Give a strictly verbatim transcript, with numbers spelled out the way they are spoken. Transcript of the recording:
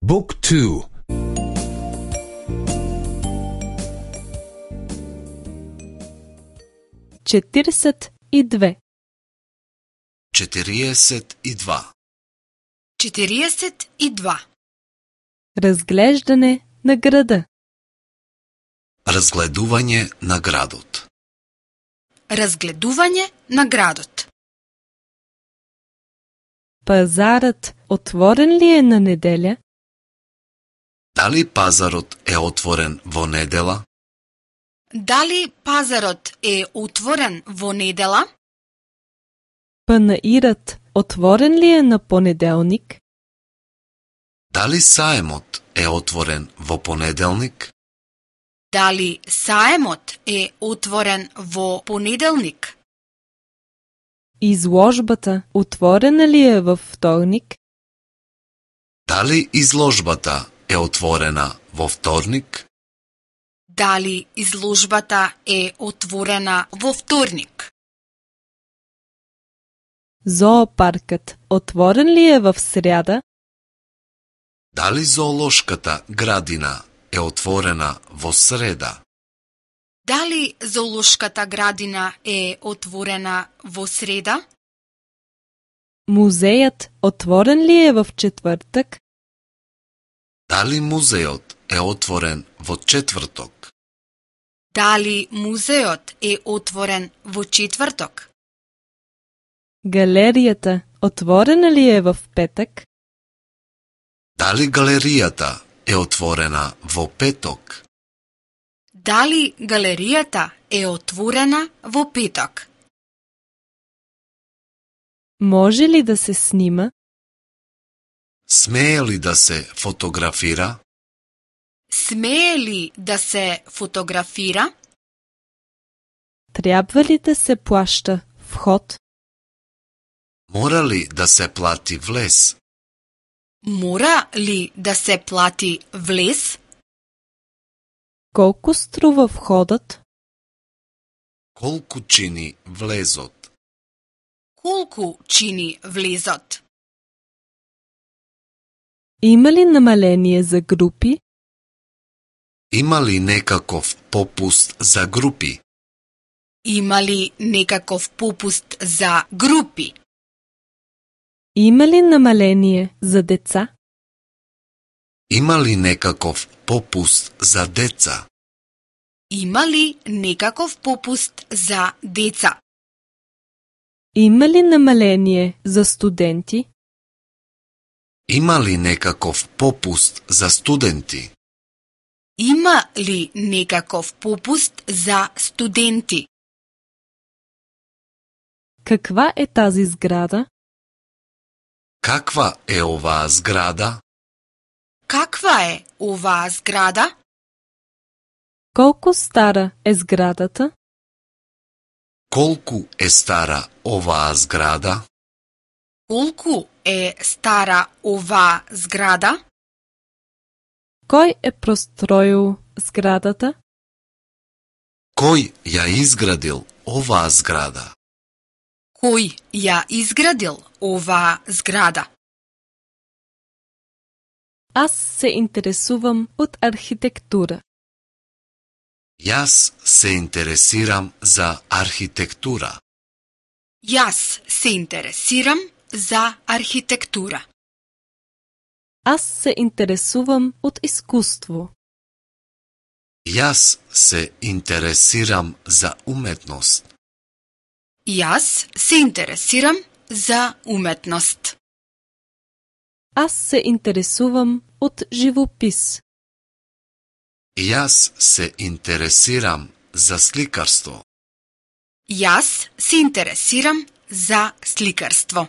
Book two. четиридесет и две. четириесет и два. четириесет и два. Разглеждане на града. Разгледување на градот. Разгледување на градот. Пазарът отворен ли е на неделя? Дали пазарот е отворен во недела? Дали пазарот е отворен во недела? Панаирът отворен ли е на понеделник? Дали саемот е отворен во понеделник? Дали саемот е отворен во понеделник? Изложбата отворена ли е във вторник? Дали изложбата е отворена во вторник? Дали изложбата е отворена во вторник? Зоопаркът отворен ли е в сряда? Дали зоолошката градина е отворена во среда? Дали зоолошката градина е отворена во среда? Музеят отворен ли е в четвъртък? Дали музеот е отворен во четврток? Дали музеот е отворен во четврток? Галерията отворена ли е в петък? Дали галеријата е отворена во петок? Дали галеријата е отворена во петок? Може ли да се снима? Смее ли да се фотографира? Смее ли да се фотографира? Трябва ли да се плаща вход? Мора ли да се плати влез? Мора ли да се плати влез? Колко струва входът? Колку чини влезот? Колку чини влезот? Има ли намаление за групи? Има ли некаков попуст за групи? Има ли некаков попуст за групи? Има ли намаление за деца? Има ли некаков попуст за деца? Има ли некаков попуст за деца? Има ли намаление за студенти? Има ли некаков попуст за студенти? Има ли некаков попуст за студенти? Каква е тази сграда? Каква е оваа зграда? Каква е оваа зграда? Колко стара е сградата? Колку е стара оваа зграда? Колку е стара оваа зграда? Кой е простроил сградата? Кој ја изградил оваа зграда? Кој ја изградил оваа зграда? Аз се интересувам от архитектура. Јас се интересирам за архитектура. Јас се интересирам за архитектура. Аз се интересувам от изкуство. Јас се интересирам за уметност. Јас се интересирам за уметност. Аз се интересувам от живопис. Јас се интересирам за сликарство. Јас се интересирам за сликарство.